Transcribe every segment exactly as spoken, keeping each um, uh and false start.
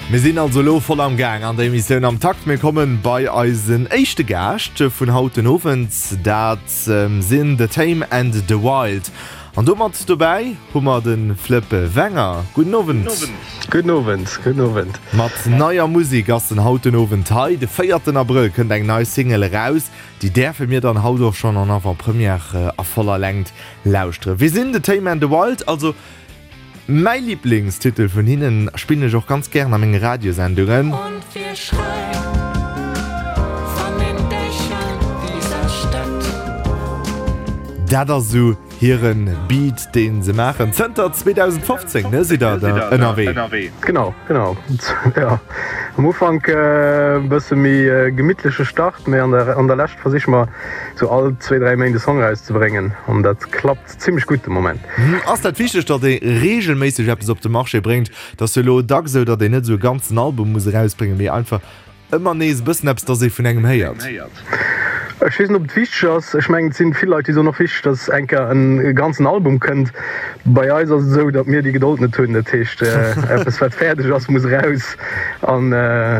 Mir sinn also elo voll am Gaang an der Emissioun Am Takt. Mir kommen bei eisen éischte Gaascht vun haut den Owend, dat sinn The Tame and the Wild. An do mat dobäi hu mer de Flëpp Wenger. Gudden Owend. Gudden Owend, gudden Owend. Mat neier Musek ass en haut den Owend hei. De véierten Abrëll kënnt eng nei Single eraus. Déi däerfe mir dann haut och schonn en Avant-Première a voller Längt lauschteren. Wie sinn The Tame and the Wild? Also mäi Liblingstitel vun hinnen spillen ech och ganz gären a menge Radiosendungen. Und wir schreien von den Dächern dieser Stadt. Dat ass esou hiren Beat deen se maachen. Zënter zweedausendfofzéng ne sidd der da ënnerwee. Genau, genau. Jo, am Ufank e bësse méi gemittleche Start, mee an der an der Lescht versiche mer sou all zwee, dräi Méint e Song erauszebréngen an dat klappt zimmlech gutt de Moment. Ass dat wichteg, datt ee reegelméisseg eppes op de Marché bréngt? Et ass jo elo dacks esou, datt een net esou e ganzen Album muss erausbréngen, mee einfach ëmmer nees e bëssen eppes, datt ee vun engem héiert. Ech weess net, ob et wichteg ass. Ech mengen, et sinn vill Leit, déi soen, och wichteg, datt eng Kéier e ganzen Album kënnt. Bei eis ass et esou, datt mir déi Gedold net hunn. Dat heescht, eppes wat fäerdeg ass, muss eraus. An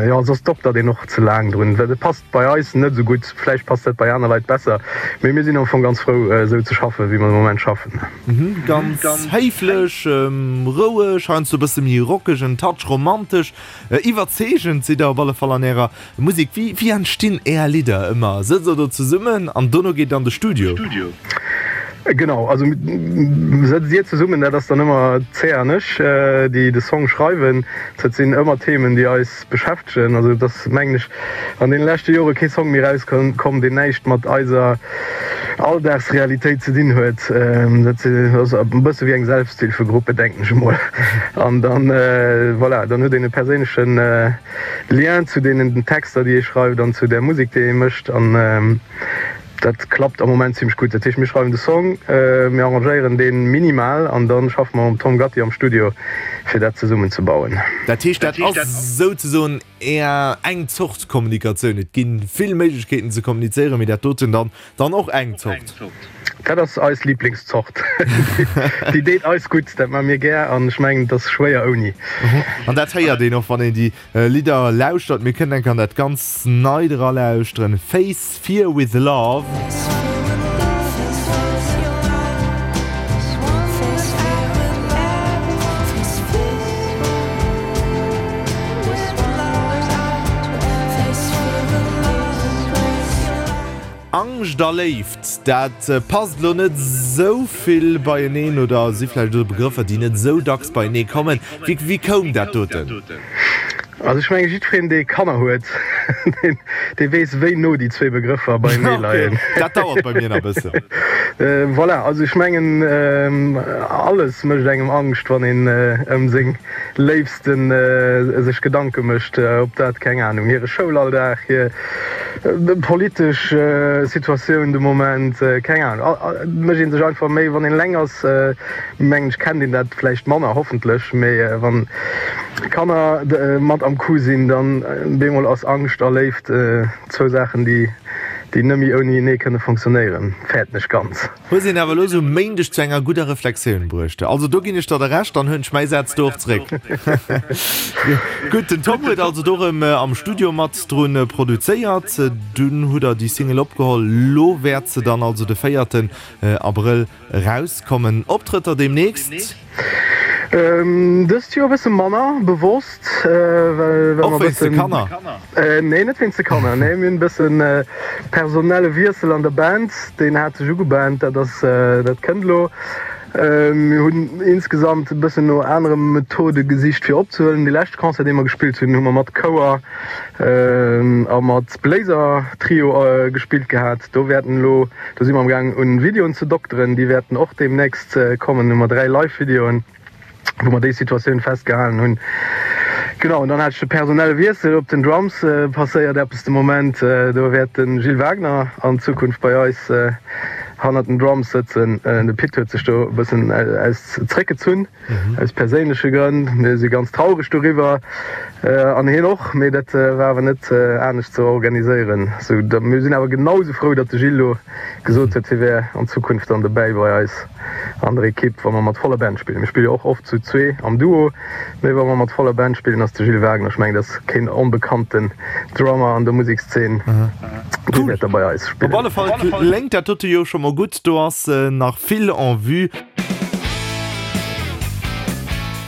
jo, soss doktert een och ze laang drun. Et passt bei eis net esou gutt. Vläicht passt dat bei aner Leit besser. Mee mir sinn am Fong ganz frou, esou ze schaffen, wéi mer de Moment schaffen. Ganz héiflech, roueg, heiansdo e bësse méi rockeg, en Touch romantesch. Iwwerzeegend sidd der op alle Fall an ärer Musek. Wéi wéi entstinn är Lidder ëmmer? Sëtzt der do zesummen an dono geet et an de Studio? Genau, also sëtzt dir zesummen, dat ass dann ëmmer d'Cea an ech, déi de Song schreiwen. Dat sinn ëmmer Themen, déi eis beschäftegen. Also et ass, mengen ech, an deene leschte Jore kee Song méi erauskomm, deen näischt mat eiser Alldagsrealitéit ze dinn huet. Dat ass e bësse wéi eng Selbsthilfegruppe, denken ech emol. An dann, voilà, dann huet een e perséinleche Lien zu deenen Texter, déi ee schreift an zu där Musek, déi ee mécht. An dat klappt am Moment zimmlech gutt. Dat heescht, mir schreiwen de Song, mir arrangéieren dee minimal an da schaffe mer mam Tom Gatti am Studio, fir dat zesummen ze bauen. Dat heescht, dat ass souzesoen Är eng Zort Kommunikatioun. Et gi vill Méiglechkeeten ze kommunizéieren, mee dat doten dann dann och eng Zort. Dat ass eis Liblingszort. Déi deet eis gutt, dat maache mir gär an ech mengen, et ass schwéier ouni. An dat héiert een och, wann een déi Lidder lauschtert. Mir kënnen enk an dat ganz Neit eralauschteren, Face Fear With Love. Angscht a Léift, dat passt elo net esou vill beieneen oder si vläicht esou Begrëffer, déi net esou dacks beienee kommen. Wéi koum dat doten? Also ech mengen, jiddwereen, dee Kanner huet, dee weess, wéi no déi zwee Begrëffer beienee leien. Dat dauert bei mir nach e bëssen. Voilà, also ech mengen, alles mécht engem Angscht, wann een ëm seng Léifste sech Gedanke mécht, ob dat, keng Anung, hire Schoulalldag, hir politesch Situatioun de Moment, keng Anung, et mécht ee sech einfach méi, wann een eleng ass, mengen ech, kennt een dat vläicht manner, hoffentlech, mee wann Kanner mat am Coup sinn, dann bemol ass Angscht a Léift zwou Saachen, déi déi nëmme ounienee kënne fonctionnéieren, fäerten ech ganz. Hues een awer elo sou Méindeg zu enger gudder Reflexioun bruecht. Also do ginn ech der de Recht, dann huelen ech mäi Saz do och zréck. Gutt, den Tom huet also do rëm am Studio mat drun produzéiert, dunn hutt der déi Single opgeholl, lo wäert se dann also de véierten Abrëll Erauskommen. Optrëtter deemnächst? Dëst Joer e bësse manner, bewosst, well mer Och wéinst de Kanner? Nee, net wéinst de Kanner, nee, mir hunn e bëssen personelle Wiessel an der Band, deen hat sech ugebahnt, dat ass, dat kënnt elo. Mir hunn insgesamt e bëssen no anere Methode gesicht fir opzehuelen. Dee leschte Concert, dee mer gespillt hunn, hu mer mat Chouer a mat Bléiser-Trio gespillt gehat. Do wäerten elo, do si mer am gaang un Videoen ze dokteren, déi wäerten och deemnächst kommen. Hu mer dräi Live-Videoen, wou mer déi Situatioun festgehalen hunn. Genau, an dann hat ech de personelle Wiessel op den Drums, passéiert eppes de Moment. Do wäert de Gilles Wagner an Zukunft bei eis hannert den Drums sëtzen. De Pit huet sech do e bëssen aus zréckgezunn. Aus perséinleche Grënn. Mir si ganz traureg doriwwer, an hien och, mee dat war awer net anescht ze organiséieren. Sou, mir sinn awer genau sou frou, datt de Gilles lo gesot huet, hie wär an Zukunft dann dobäi bei eis. an der Ekipp, wa mer mat voller Band spillen. Mir spille jo och oft zu zwee am Duo, mee wa mer mat voller Band spillen, ass de Gilles Wagner, ech mengen, dat ass keen onbekannten Drummer an der Musekszeen, dee wäert da bei eis spillen. Op alle Fall kléngt dat dote jo scho mol gutt, do ass nach vill en vue.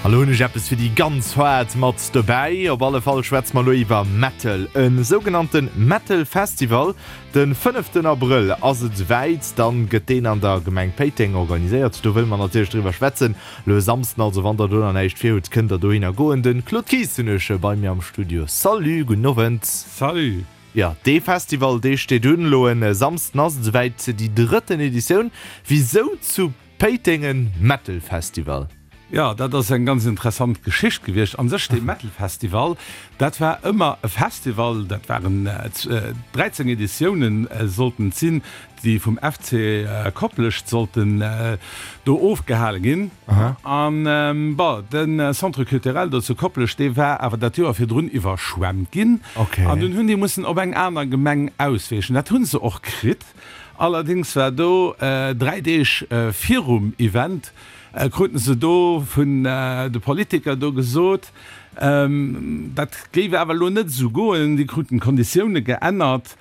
A lo hunn ech eppes fir déi ganz Faart mat dobäi. Op alle Fall schwätze mer elo iwwer Metal, e sougenannte Metal Festival. De fënneften Abrëll ass et esouwäit, dann gëtt deen an der Gemeng Péiteng organiséiert. Do wëlle mer natierlech driwwer schwätzen. Elo e Samsden also, wann der do nach näischt vir hutt, kënnt der dohinner goen. De Claude Kies hunn ech bei mir am Studio. Salut, gudden Owend. Salut. Jo, dee Festival, dee steet un. Elo e Samsden ass et esouwäit, déi drëtten Editioun. Wisou zu Péiteng e Metal Festival? Jo, dat ass eng ganz interessant Geschicht gewiescht. An sech dee Metal Festival, dat war ëmmer e Festival, dat waren dräizéng Editiounen sollten et sinn, déi vum F C Koplescht sollten do ofgehale ginn. An bon, de Centre culturel do zu Koplescht, dee war awer dat Joer virdrun iwwerschwemmt ginn. An dunn hunn déi mussen op eng aner Gemeng ausweechen. Dat hu se och kritt. Allerdéngs war do dräi Deeg virum Event, kruten se do vun de Politiker do gesot, dat géif awer elo net esou goen. Déi kruten d'Konditioune geännert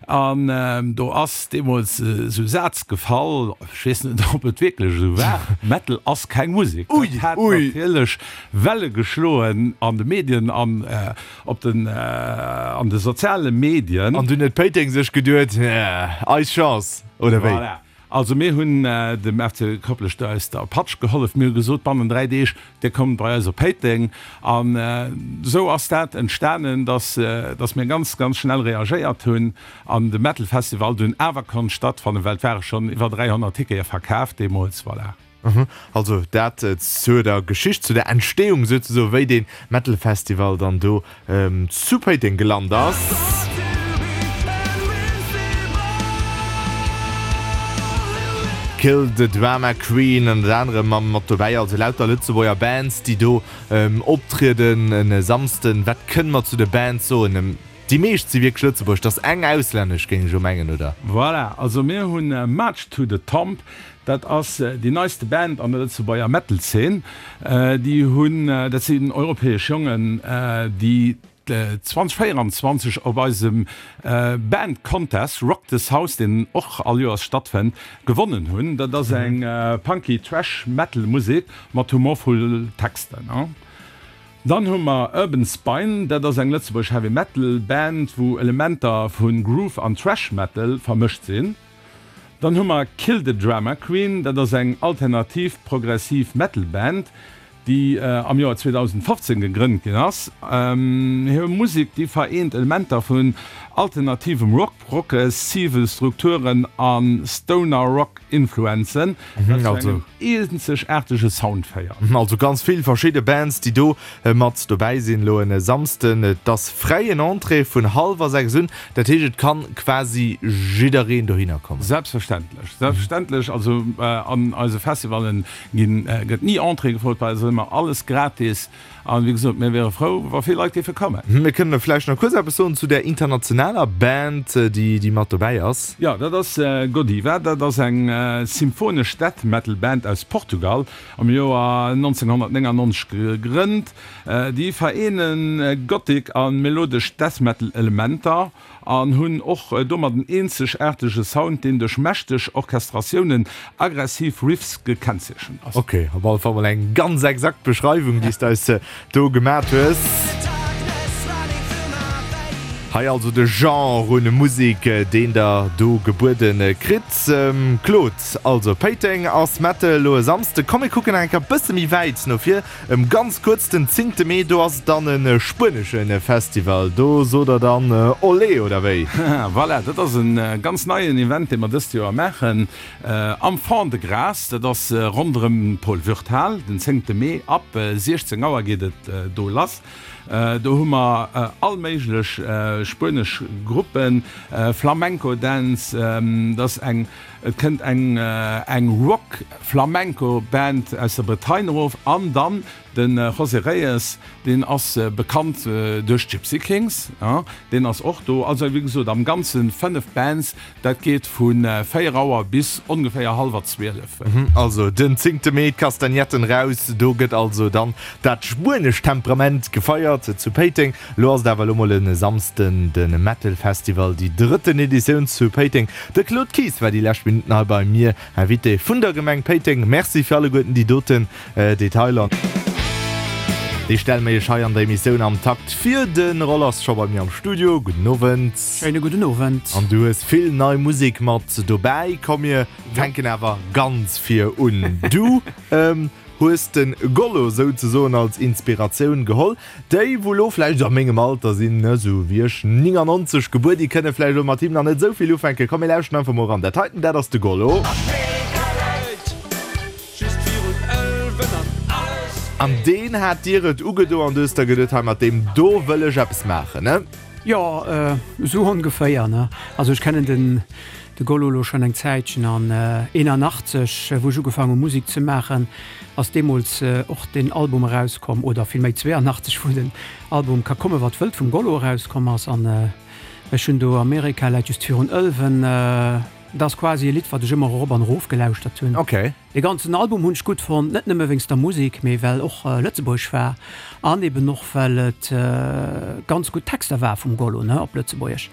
an do ass deemools esou e Saz gefall, ech weess net, ob et wierklech esou war, Metal ass keng Musek. Dat hat natierlech Welle geschloen an de Medien an op den an de soziale Medien. An dunn huet Péiteng sech geduet, eis Chance, oder wéi? Voilà. Also mir hunn dem F C Koplescht do aus der Patsch gehollef. Mir hu gesot, bannen dräi Deeg, Dir kommt bei eis op Péiteng. An esou ass dat entstanen, dass dass mir ganz, ganz schnell reagéiert hunn an de Metal Festival dunn awer konnt stattfannen, well et ware schonn iwwer dräihonnert Tickete verkaaft deemools. Voilà. Also dat zu der Geschicht, zu der Entstehung souzesoen, wéi dee Metal Festival dann do zu Péiteng gelant ass. Kill the Drama Queen ënnert anerem mam mat dobäi, also lauter Lëtzebuerger Bands, déi do optrieden e Samsden. Wat kënne mer zu de Bands soen? Déi meescht si wierklech Lëtzebuerg, et ass eng auslännesch, géing ech elo mengen, oder? Voilà, also mir hunn March to the Tomb, dat ass déi neiste Band an der Lëtzebuerger Metal-Zeen. Déi hunn, dat sinn europäesch Jongen, déi zwanzeg véieranzwanzeg op eisem Band Contest Rock This House, deen och all Joers stattfënnt, gewonnen hunn. Dat ass eng punky Thrash Metal Musek mat humorvoll Texten. Dann hu mer Urban Spine, dat ass eng lëtzebuergesch Heavy Metal Band, wou Elementer vu Groove an Thrash Metal vermëscht sinn. Dann hu mer Kill the Drama Queen, dat ass eng alternativ progressiv Metal Band, déi am Joer zweedausendfofzéng gegrënnt ginn ass. Hir Musek, déi vereent Elementer vun alternativem Rock, progressive Strukturen a Stoner Rock Influenzen, wat zu engem eenzegaartege Sound féiert. Also ganz vill verschidde Bands, déi do mat dobäi sinn elo en Samsden. Et ass fräien Entrée vun hallwer sechs un, dat heescht et kann quasi jiddereen dohinner kommen. Selbstverständlech, selbstverständlech. Also an eise Festivallen ginn, gëtt ni Entrée gefrot, bei eis ass ëmmer alles gratis. An wéi gesot, mir wiere frou, wa vill Leit géife kommen. Mir kënnen vläicht nach kuerz eppes soen zu där internationaler Band, déi déi mat dobäi ass. Jo, dat ass Godiva. Dat ass eng symphonesch Death Metal Band aus Portugal, am Joer nonzénghonnertnéngannonzeg gegrënnt. Déi vereene Gothic a melodesch Death Metal Elementer. An hunn och domat en eenzegaartege Sound, deen duerch mächteg Orchestratiounen, aggressiv Riffs gekennzeechent ass. Ok, op alle Fall mol eng ganz exakt Beschreiwung, déi s de eis do gemat hues. Hei also de Genre un Musek, deen der do gebuede kritt. Claude, also Péiteng ass Metal elo e Samsde. Komm mir kucken nach eng Kéier e bësse méi wäit no vir. Em ganz kuerz, den zéngte Mee, do ass et dann e spuenesche Festival. Do sot der dann Olé, oder wéi? Voilà, dat ass e ganz neien Event, dee mer dëst Joer maachen am Fond-de-Gras. Dat ass ronderëm d'Paul Würth-Hal, den zéngte Mee ab siechzéng Auer geet et do lass. Do hu mer all méiglech spuenesch Gruppen, Flamenco-Dänz, dat ass eng Et kënnt eng eng Rock Flamenco Band aus der Bretagne erof an dann de José Reyes, deen ass bekannt duerch d'Gypsy Kings, deen ass och do. Also wéi gesot am Ganze fënnef Bands, dat geet vu véier Auer bis ongeféier hallwer zwielef. Also den zéngte Mee, d'Kastagnetten raus, do gëtt also dann dat spuenescht Temperament gefeiert zu Péiteng. Lo ass et awer elo mol e Samsden de Metal Festival, déi drëtten Editioun zu Péiteng. De Claude Kies war déi lescht Minutten hei bei mir, Invité vun der Gemeng Péiteng. Merci fir alleguerten déi doten Detailer. Déi stelle mir iech hei an der Emissioun am Takt vir. De Roll ass scho bei mir am Studio. Gudden Owend. Schéine gudden Owend. An du hues vill nei Musek mat dobäi. Komm mir fänken awer ganz vir un. Du hues de Gollo souzesoen als Inspiratioun geholl. Déi wou lo vläicht a mengem Alter sinn, esou wéi ech, níngannonzeg gebuer, déi kënne vläicht elo mat him nach net esou vill ufänken. Komm mir lauschten einfach mol eran. Dat heiten, dat ass de Gollo. An deen hat dir et ugedo an du hues der geduet, hei mat deem do wëll ech eppes maachen, ne? Jo, esou ongeféier, ne. Also ech kennen den de Gollo elo schonn eng Zäitchen an eenanachtzeg, wou ech ugefaangen hu Musek ze maachen, ass deemools och deen Album erauskomm, oder villméi zweeanachtzeg, wou den Album Ka komme wat wëllt vum Gollo erauskomm ass. An ech hunn do Amerika läit just virun Ëlwen, dat ass quasi e Lidd, wat ech ëmmer erop an erof gelauschtert hunn. Okay. Dee ganzen Album hunn ech gutt fonnt, net nëmme wéinst der Musek, mee well och lëtzebuergesch war an eben och well et ganz gutt Texter war vum Gollo, ne, op Lëtzebuergesch.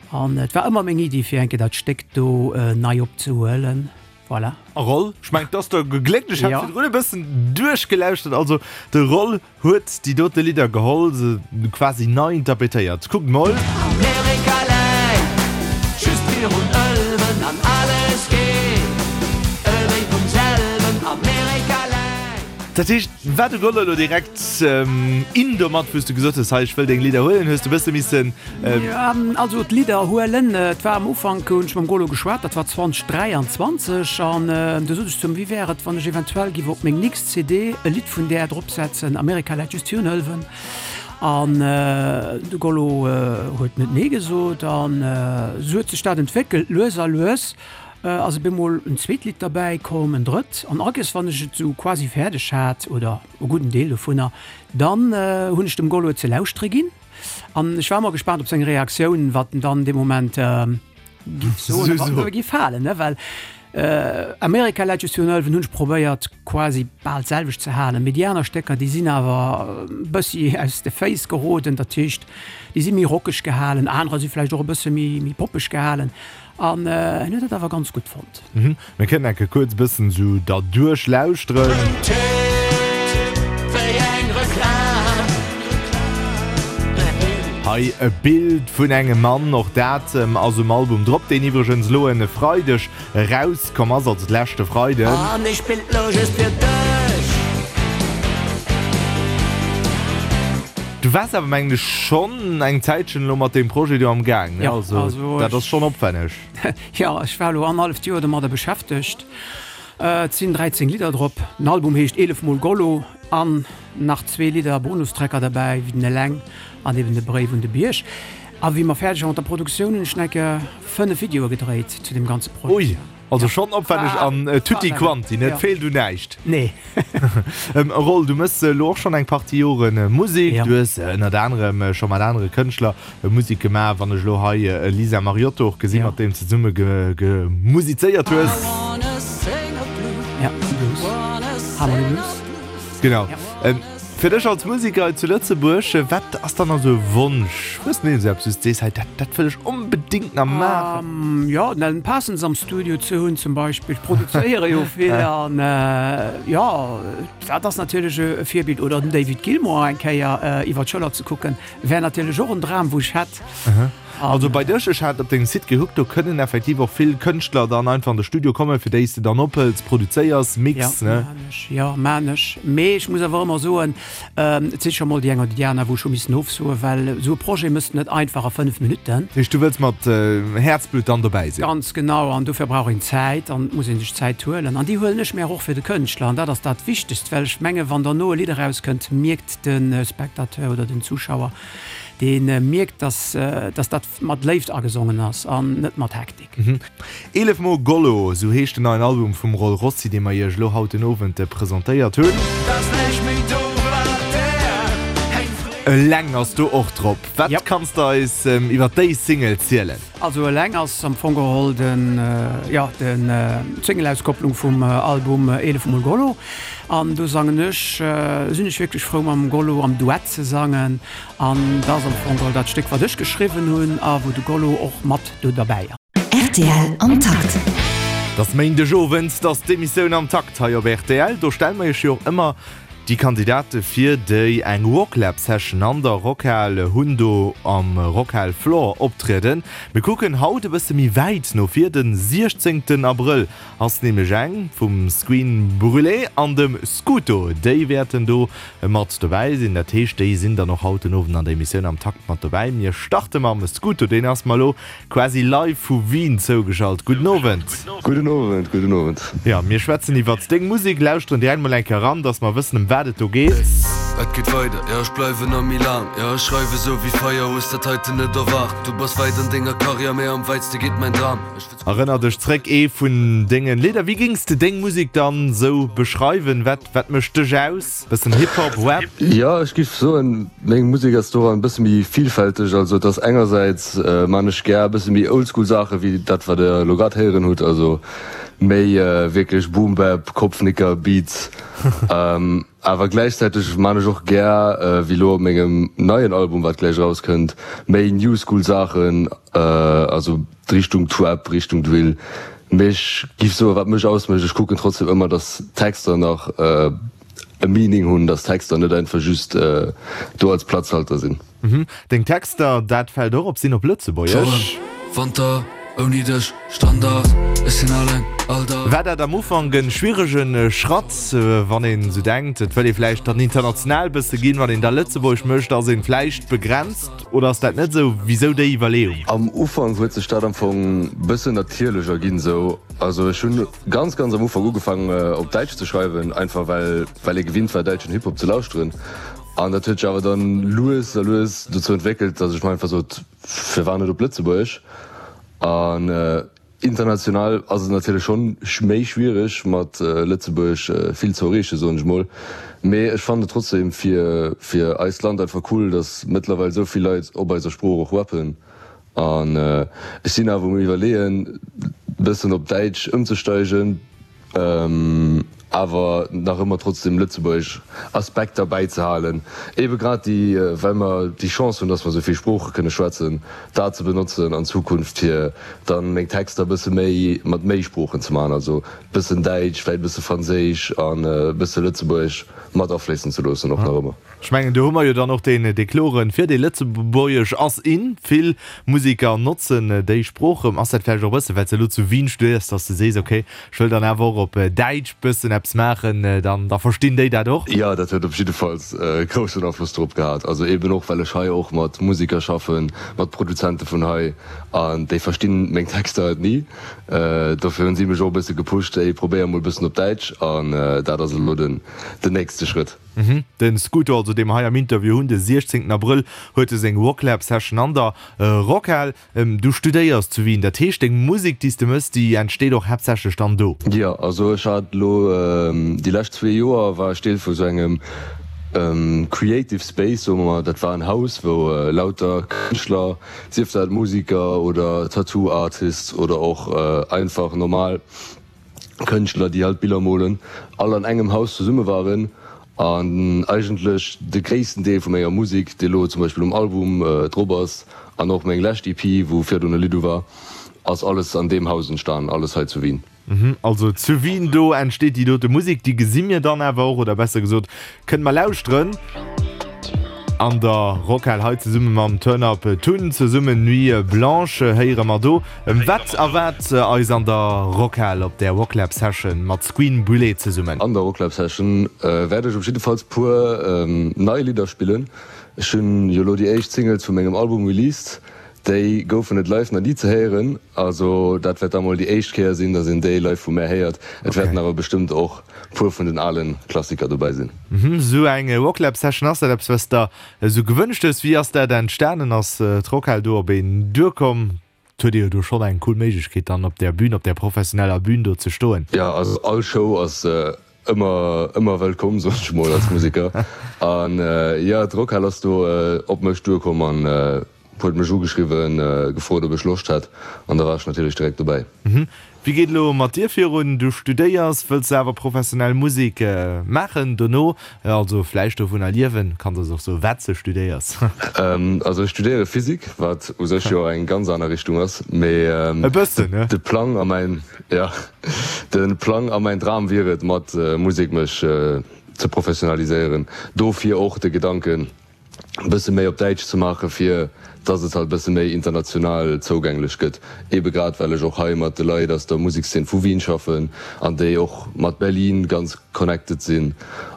An et war ëmmer meng Iddi fir eng Kéier dat Stéck do nei opzehuelen. Voilà. A Roll, ech mengen, 't ass der gegléckt. Ech hat Ja. virdrun e bëssen duerchgelauschtert. Also de Roll huet déi dote Lidder geholl, se quasi nei interpretéiert. Kuckt mol. Amerika läit just virun Ëlwen an alles geet ewéi vum selwen. Amerika läit. Dat heescht, war de Gollo elo direkt in domat, wou s du gesot hues, hei ech wëll deng Lidder huelen? Hues de e bësse missen. Jo, also d'Lidder huelen, et war am Ufank, hunn ech mam Gollo geschwat, dat war zwanzeg dräianzwanzeg, an du sot ech zu him, wéi wär et, wann ech eventuell giff op meng nächst C D e Lidd vun där dropsetzen, Amerika läit just virun Ëlwen. An de Gollo huet net nee gesot an esou huet sech dat entwéckelt, lues a lues ass op eemol en zweet Lidd derbäi komm, en drëtt an ages wann ech et esou quasi fäerdeg hat oder e gudden Deel dovunner, dann hunn ech dem Gollo et ze lauschtere ginn an ech war ëmmer gespaant op seng Reaktioun, wat en dann dee Moment giff soen a wat em giff gefalen, ne, well Amerika läit just virun Ëlwen hunn ech probéiert quasi bal d'selwecht ze halen, mee déi aner Stécker déi sinn awer e bëssi aus de Féiss geroden, dat heescht déi si méi rockeg gehalen, anerer si vläicht och e bësse méi méi poppeg gehalen an en huet dat awer ganz gutt fonnt. Mir kënnen enke kuerz e bëssen esou derduerch lauschteren. Hei e Bild vun engem Mann, och dat ass um Album drop, deen iwwregens elo e Freideg erauskomm ass, also d'leschte Freiden. An ech spillt lo just fir dech. Du waars awer mengen ech schonn eng Zäitchen elo mat deem Projet do am Gaang, ne? Jo, Also also dat ech, ass schonn opwänneg. jo, ech war elo annerhalleft Joer domadder beschäftegt. Et sinn dräizéng Lidder drop. Den Album heescht Eelef mol Gollo an nach zwee Lidder, Bonustrecker derbäi, wéi den Eleng an eben de Bréif un de Bierg. A wéi mer fäerdeg waren mat der Produktioun, hunn ech nach eng Kéier fënnef Videoe gedréit zu deem ganze Projet. Ui, also schonn opwänneg an tutti quanti, ne? Et feelt un näischt. Nee. Roll, du mëss elo och schonn eng Partie Jore Musek. Du hues ënnert anerem scho mat anere Kënschtler Musek gemaach. Wann ech elo hei e Lisa Mariotto och gesinn, mat deem s de zesumme gemusizéiert hues. Ja, Blues. Harmony Blues. Genau. Fir dech als Museker hei zu Lëtzebuerg, wat ass dann nach esou e Wonsch? Hues de esou eppes, wou s de sees, hei dat, dat wëll ech onbedéngt nach maachen? Jo, den Alan Parsons am Studio ze hunn zum Beispill. Ech produzéiere jo vill an jo, dat ass natierlech e Virbild. Oder den David Gilmour eng Kéier iwwer d'Schëller ze kucken, wär natierlech och en Dram, wou ech hätt. Also bei dech, ech hat op dengem Site gekuckt, do kënnen effektiv och vill Kënschtler dann einfach an de Studio kommen, fir déi s de dann ophëls, produzéiers, mix, Ja, ne? maan ech, jo, maan ech. Mee ech muss awer ëmmer soen, et si scho mol déi eng oder déi aner, wou ech hu missen ofsoen, well esou e Projet mëss de net einfach a fënnef Minutten. Dat heescht, du wëlls mat Häerzblutt dann dobäi sinn? Ganz genau, an dofir brauch een Zäit an et muss ee sech Zäit huelen. An déi huelen ech mir och fir de Kënschtler an dat ass dat Wichtegst, well ech menge wann derno e Lidd erauskënnt, mierkt de Spectateur oder den Zuschauer, Dee mierkt, dass, dass dat mat Léift agesongen ass an net mat Hektik. Eelef mol Gollo, esou heescht den neien Album vum Roll Rossi, dee mer iech elo haut den Owend presentéiert hunn. Eleng ass do och drop. Wat kanns de eis iwwer déi Single zielen? Also Eleng ass am Fong geholl den, jo, den, d'Single-Auskopplung vum Album Eelef mol Gollo. An do sangen ech, sinn ech wierklech frou mam Gollo am Duett ze sangen. An dat ass am Fong geholl dat Stéck wat ech geschriwwen hunn a wou de Gollo och mat do derbäi ass. Rtl am Takt. Et ass Méindegowend, et ass d'Emissioun Am Takt hei op rtl. Do stelle mer iech jo och ëmmer déi Kandidate vir, déi eng Rocklab Session an der Rockhal hunn, do am Rockhal Floor optrieden. Mir kucken haut e bësse méi wäit no vir, de siechzéngten Abrëll ass nämlech eng vum Squeen Brûlé an dem Scuto. Déi wäerten do mat dobäi sinn. Dat heescht, déi sinn dann och haut den Owend an der Emissioun Am Takt mat dobäi. Mir starte mam Scuto, deen ass mer elo quasi live vu Wien zougeschalt. Gudden Owend. Gudden Owend, gudden Owend. Jo, mir schwätzen iwwert deng Musek, lauschteren direkt mol eng Kéier eran, dass mer wëssen, ëm wat et do geet. Et geet weider, jo ech bleiwen a Milan, jo ech schreiwe sou wéi Feier, hues dat heiten net erwaart. Du bass wäit an denger Karriär, mee am wäitste geet mäin Dram. Ech. Erënner dech zréck, ee vun dengen Lidder. Wéi géings de deng Musek dann sou beschreiwen? Wat wat mécht dech aus? Bëssen Hip-Hop, Rap? Jo, ech géif soen, meng Musek ass doran e bësse méi villfälteg. Also et ass engersäits man ech gär e bësse méi Oldschool Saache wéi dat wat der elo grad héieren hutt, also méi wierklech Boom Bap, Kopfnicker Beats. Awer gläichzäiteg man ech och gär, wéi elo op mengem neien Album, wat gläich erauskënnt, méi New School Saachen, also Richtung Trap, Richtung Drill. Mee ech giff soen, wat mech ausmécht, ech kucken trotzdem ëmmer, dass d'Texter nach e Meaning hunn, dass d'Texter net einfach just do als Platzhalter sinn. Deng Texter, dat fält och op, sinn op Lëtzebuergesch. Wanter ouni dech Standard, ech sinn alleng all Dag. War dat am Ufank en schwieregen Schratt, wann een esou denkt, et wëll ee vläicht dann international bësse ginn, wann een da Lëtzebuergesch mécht, ass een vläicht begrenzt oder ass dat net esou? Wisou déi Iwwerleeung? Am Ufank huet sech dat am Fong bëssen natierlech erginn esou. Also ech hunn ganz ganz am Ufank ugefaangen op Däitsch ze schreiwen, einfach well well ee gewinnt war däitschen Hip-Hop ze lauschteren. An dat huet sech awer dann lues a lues dozou entwéckelt, datt ech mer einfach sot, firwat net op Lëtzebuergesch? An international ass et natierlech schonn méi schwiereg mat Lëtzebuerg vill ze erreechen, soen ech mol. Mee ech fannen et trotzdem fir fir eist Land einfach cool, datt mëttlerweil esou vill Leit op eiser Sprooch och rappen. An ech sinn awer um iwwerleeën, bëssen op Däitsch ëmzesteigen. Awer nach ëmmer trotzdem lëtzebuergesch Aspekter bäizehalen, ebe grad déi, well mer déi Chance hunn, dass mer esou vill Sprooche kënne schwätzen, dat ze benotzen an Zukunft, fir dann meng Texter e bësse méi mat méi Sproochen ze maachen, also e bëssen Däitsch, vläicht e bësse Franséisch an e bësse Lëtzebuergesch mat afléissen ze loossen och nach ëmmer. Ech mengen, do hu mer jo dann och deen, dee kloren Virdeel, Lëtzebuergesch ass in, vill Museker notzen déi Sprooch. Ass dat vläicht och e bësse well s de elo zu Wien studéiers, dass de sees, okay, ech wëll dann awer och op Däitsch bëssen eppes maachen, dann da verstinn déi dat och? Jo, dat huet op jiddefalls e groussen Afloss drop gehat. Also eeben och well ech hei och mat Museker schaffen, mat Produzente vun hei, an déi verstinn meng Texter halt ni. Dofir hunn si mech och e bësse gepusht, ey, probéier mol e bëssen op Däitsch, an dat ass elo den nächste Schrëtt. Den Scooter also, dee mer hei am Interview hunn, de siechzéngten Abrëll huet e seng Rocklab Session an der Rockhal. Du studéiers zu Wien, dat heescht deng Musek déi s de mëss, déi entsteet och haaptsächlech dann do? Jo, also ech hat elo déi lescht zwee Joer war ech Deel vu sou engem Creative Space, soe mer mol. Dat war en Haus wou lauter Kënschtler, sief dat Musiker oder Tattoo Artists oder och einfach normal Kënschtler, déi halt Biller molen, all an engem Haus zesumme waren an eigentlech de gréissten Deel vu menger Musek, déi elo zum Beispill um Album drop ass an och meng lescht E P, wou virdrun e Lidd u war, ass alles an deem Haus entstan, alles hei zu Wien. Also zu Wien, do entsteet déi dote Musek, déi gesi mir dann awer och, oder besser gesot kënne mer lauschteren. An der Rockhal hei zesumme mam Turn Up Tun, zesummen Nuit Blanche héiere mer do. Wat erwaart eis an der Rockhal op där Rocklab Session mat Squeen Brûlé zesummen? An der Rocklab Session wäert ech op jiddefalls puer nei Lidder spillen. Ech hunn jo elo déi éischt Singles vu mengem Album released, Déi goufen et live nach ni ze héieren, also dat wäert da mol déi éischt Kéier sinn, dass een déi live vu mär héiert. Et wäerten awer bestëmmt och puer vun den ale Klassiker dobäi sinn. Sou eng Rocklab Session, ass dat eppes wat s der esou gewënscht hues? Wéi ass dat entstanen? Ass d'Rockhal do op een duerkomm? Et huet ee jo do schonn eng cool Méiglechkeet dann op där Bühn, op där professioneller Bühn do ze stoen. Jo, also all Show ass ëmmer ëmmer wëllkomm, soen ech mol als Museker. An jo, d'Rockhal ass do op mech duerkomm an huet mech ugeschriwwen, gefrot ob ech Loscht hätt an da war ech natierlech direkt dobäi. Wéi geet elo mat dir virun? Du studéiers, wëlls de awer professionell Musek maachen dono, also vläicht dovunner liewen? Kanns eis och soen, wat s de studéiers? Also ech studéiere Physik, wat u sech jo eng ganz aner Richtung ass, mee E bëssen, ne? de Plang a mäin, jo, de Plang a mäin Dram wier et, mat Musek mech ze professionaliséieren. Dofir och de Gedanken, e bësse méi op Däitsch ze maachen, fir dass et halt e bësse méi international zougänglech gëtt, ebe grad well ech och hei mat de Leit aus der Musekszeen vu Wien schaffen an déi och mat Berlin ganz connected sinn.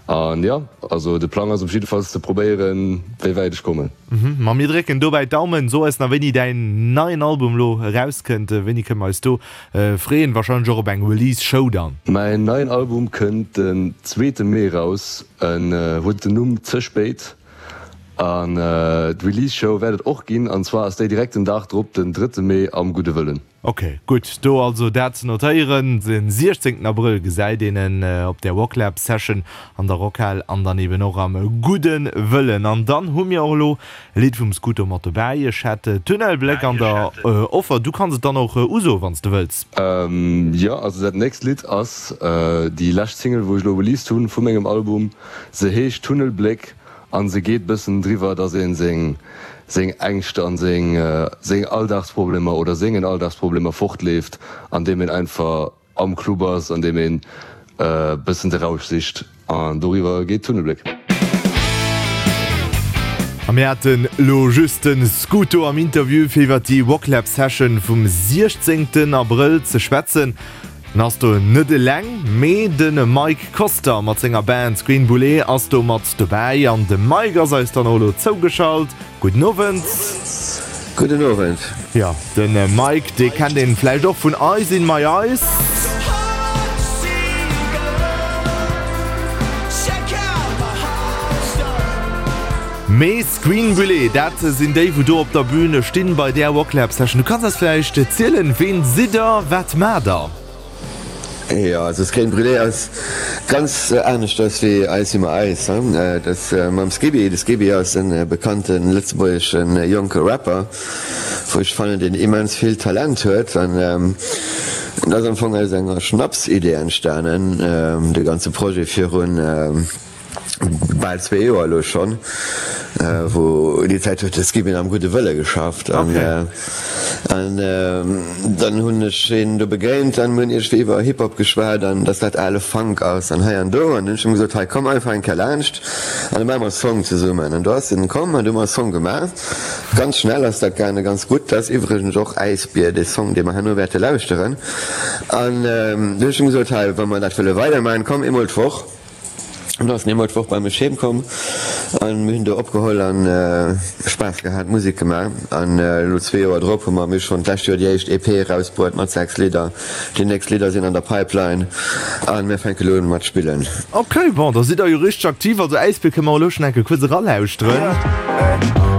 An jo, also de Plang ass op jiddefalls ze probéieren, wéi wäit ech kommen. Ma mir drécken dobäi d'Daumen. So eis nach, wéini däin neien Album elo erauskënnt. Wéini kënne mer eis do freeën? Warscheinlech och op eng Release-Show dann? Mäin neien Album kënnt den zweete Mee raus. En huet den Numm Ze spéit. An d'Release Show wäert et och ginn, an zwar ass déi direkt den Dag drop, den drëtte Mee am Gudde Wëllen. Ok, gutt, do also dat ze notéieren. Den siechzéngten Abrëll gesäit een en op der Rocklab Session an der Rockhal an dann eben och am Gudde Wëllen. An dann hu mir och elo e Lidd vum Scooter mat dobäi. Ech hätt Tunnelbléck an der Offer. Du kanns et dann och usoen, wann s de wëlls. Jo, also dat nächst Lidd ass déi lescht Single, wou ech elo released hunn vu mengem Album. Se heescht Tunnelbléck. An se geet bëssen driwwer, dass een seng seng Ängscht an seng seng Alldagsproblemer oder sengen Alldagsproblemer fortleeft, an deem een einfach am Club ass, an deem een bëssen de Rausch sicht. An doriwwer geet Tunnelbléck. A mir haten elo just de Scooto am Interview fir iwwer déi Rocklab Session vum siechzéngten Abrëll ze schwätzen. En ass do net eleng, mee de Mike Koster mat senger Band Green Boulet ass do mat dobäi. An de Mike ass eis dann och elo zougeschalt. Gudden Owend. Gudden Owend. Jo, de Mike, dee kennt een vläicht och vun Eyes in my Eyes. Mee Screen Brûlé, dat sinn déi wou do op der Bühn stinn bei där Rocklab Session. Du kanns eis vläicht zielen, ween sidd der, wat maacht der? Jo, also Screen Brûlé ass ganz aneschters wéi Ice in my Eyes. Dat ass mam Skibi. De Skibi ass e bekannte lëtzebuergesche jonke Rapper, wou ech fannen, deen immens vill Talent huet. An dat ass am Fong aus enger Schnapsidee entstanen, de ganze Projet virun. bal zwee Joer elo schonn, wou déi Zäit huet de Skibin am Gudde Wëlle geschafft an an dann hunn ech hien do begéint an mir hunn iergendwéi iwwer Hip Hop geschwat an dass dat ale Funk ass an hei an do an dunn hunn ech him gesot, hei komm einfach eng Kéier laanscht an da maache mer e Song zesummen an do ass en komm an du hu mer e Song gemaach. Ganz schnell ass dat gaangen, ganz gutt. Dat ass iwwregens och Äisbier, dee Song dee mer herno wäerte lauschteren an du hunn ech him gesot, hei wa mer dat wëlle weidermaachen, komm eemol d'Woch. An do ass en eemol d'Woch bei mech heem komm an mir hunn do opgeholl an Spaass gehat, Musek gemaach. An elo zwee Joer drop hu mer mir schonn d'lescht Joer déi éischt E P erausbruet mat sechs Lidder. Déi nächst Lidder sinn an der Pipeline an mir fänke elo un mat spillen. Ok, bon, da sidd der jo richteg aktiv. Also Äisbier kënne mer elo schonn enke kuerz eralauschteren.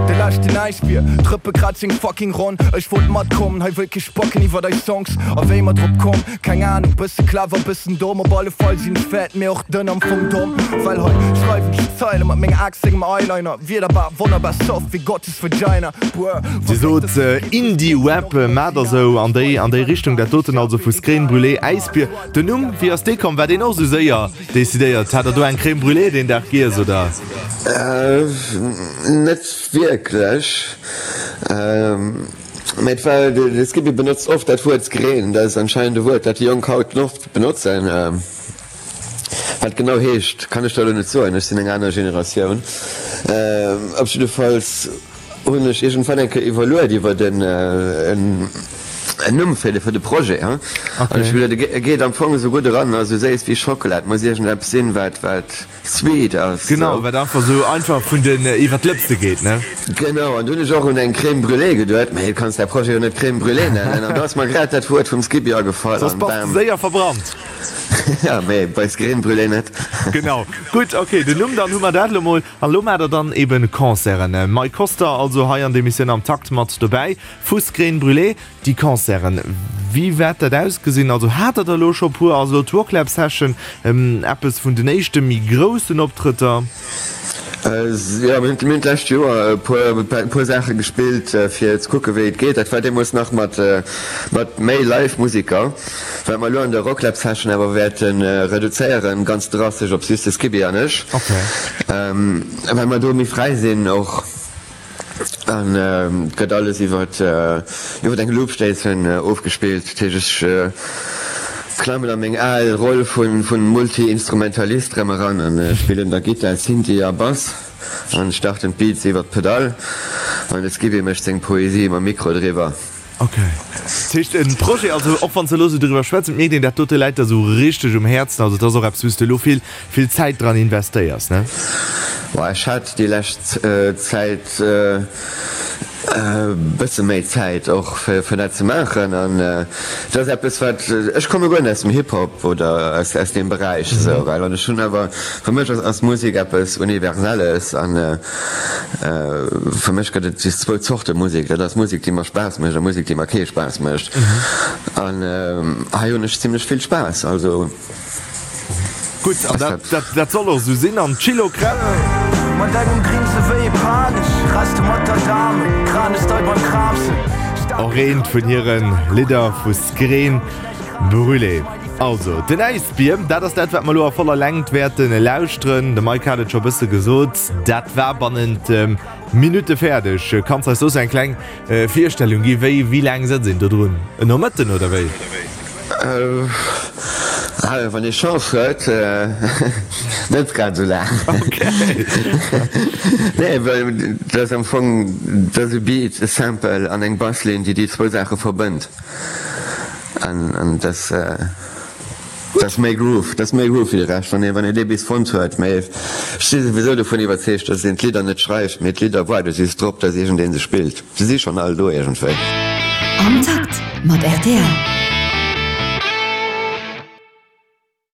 De leschten Äisbier, Drëppe grad seng fucking Ronn. Ech wollt matkommen, hei wëll kee spacken iwwert eis Songs. A wéi mer drop komm, Keng Ahnung, bësse clever, bëssen domm, op alle Fall sinn ech fett, mee och dënn, am Fong domm, well hei schreiwen ech Zeile mat menger Aaxt, sengem Eyeliner, Wierder wonnerbar soft wéi Gottes Vagina, buer. Dir sot Indie-Rap, maacht der sou an déi an déi Richtung, dat doten also vu Scrème Brûlée, Äisbier. Den Numm, wéi ass dee komm? War deen och sou séier decidéiert? Hat der do eng Crème Brûlée deen Dag giess, oder? Net wierklech. Mä et war, de Skippy benotzt oft dat Wuert skreen, dat ass anscheinend e Wuert, dat déi Jonk haut oft benotzen. Wat genau heescht, kann ech der elo net soen, ech sinn eng aner Generatioun. Op jiddefalls hunn ech iergendwann eng Kéier iwwerluet iwwert en en Numm fir de fir de Projet, hein. An ech hu geduet, e geet am Fong esou gutt eran, esou séiss wéi Schockela, et muss iergendeppes sinn, wat wat sweet ass. Genau, wat einfach esou einfach vun den iwwer d'Lëpse geet, ne? Genau, an du hunn ech och un eng Crème brûlée geduet, mee du kanns däi Projet jo net Crème brûlée nennen, an do ass mer grad dat Wuert vum Skippy agefall, Soss an bass de bam. séier verbrannt. Ja, mee bei Crème brûlée net. Genau, gutt, ok, den Numm, dann hu mer dat elo mol. An elo maacht der dann eben Concerten. Mike Koster also hei an der Emissioun am Takt mat dobäi vu Crème Brûlée. Déi Concerten, wéi wäert dat ausgesinn? Also hat der der elo scho puer? Ass elo d'Rocklab Session eppes vun den éischte méi groussen Optrëtter? Jo, mir hunn d'lescht Joer e puer Saache gespillt, fir ze kucke wéi et geet. Dat war deemools nach mat méi Live-Museker, wat mer elo an der Rocklab Session awer wäerte reduzéieren, ganz drastesch op just de Skippy an ech, well mer do méi fräi sinn och. An et gëtt alles iwwer iwwer eng Loopstation ofgespillt. Dat heescht, ech klammen a meng al Roll vun Multi-Instrumentalist rëm eran an spillen da Gittar, Synthi a Bass an starten d'Beats iwwer d'Pedall an de Skippy mécht seng Poesie mam Mikro driwwer. Ok. Dat heescht en Projet, also och wann s de elo esou driwwer schwätz, et mierkt een, dat dote läit der esou richteg um Häerzen, also et ass och eppes wou s de elo vill, vill Zäit dran investéiers, ne? Boah, ech hat déi lescht Zäit e bësse méi Zäit och fir fir dat ze maachen an et ass eppes wat, ech komme guer net aus dem Hip-Hop oder aus aus deem Beräich esou, well an ech hunn awer, fir mech ass ass Musek eppes Universelles an Fir mech gëtt et just zwou Zorte Musek, dat ass Musek, déi mer Spaass mécht a Musek, déi mer kee Spaass mécht. An hei hunn ech zimlech vill Spaass, also. Gutt, an dat, dat soll och esou sinn. An d'Chilo Crème. Mat engem Grinse wéi e Panesch, Reste mat der Dame, Kranestei beim Kramsen. Och eent vun hire Lidder vu Screen Brûlée. Also, den Äisbier, dat ass dat, wat mer elo a voller Längt wäerte lauschteren. De Mike hat et scho bësse gesot, dat war bannent Minutte fäerdeg. Kanns eis soss eng kleng Virstellung gi wéi wéi laang sëtzt een do drun? En Nomëtten oder wéi? Wann ee Chance huet, net grad esou laang. Nee, well dat ass am Fong, dat ass e Beat, e Sample an eng Basslinn, déi déi zwou Saache verbënnt. An dass dass méi Groove, dass méi Groove wéi de Rescht, wann ee wann ee dee bis fonnt huet. Mee ech si souwisou dovun iwwerzeegt, dass een d'Lidder net schreift, mee d'Lidder waarde just drop, dass iergendee se spillt. Se si schonn all do iergendwéi. Am Takt mat rtl.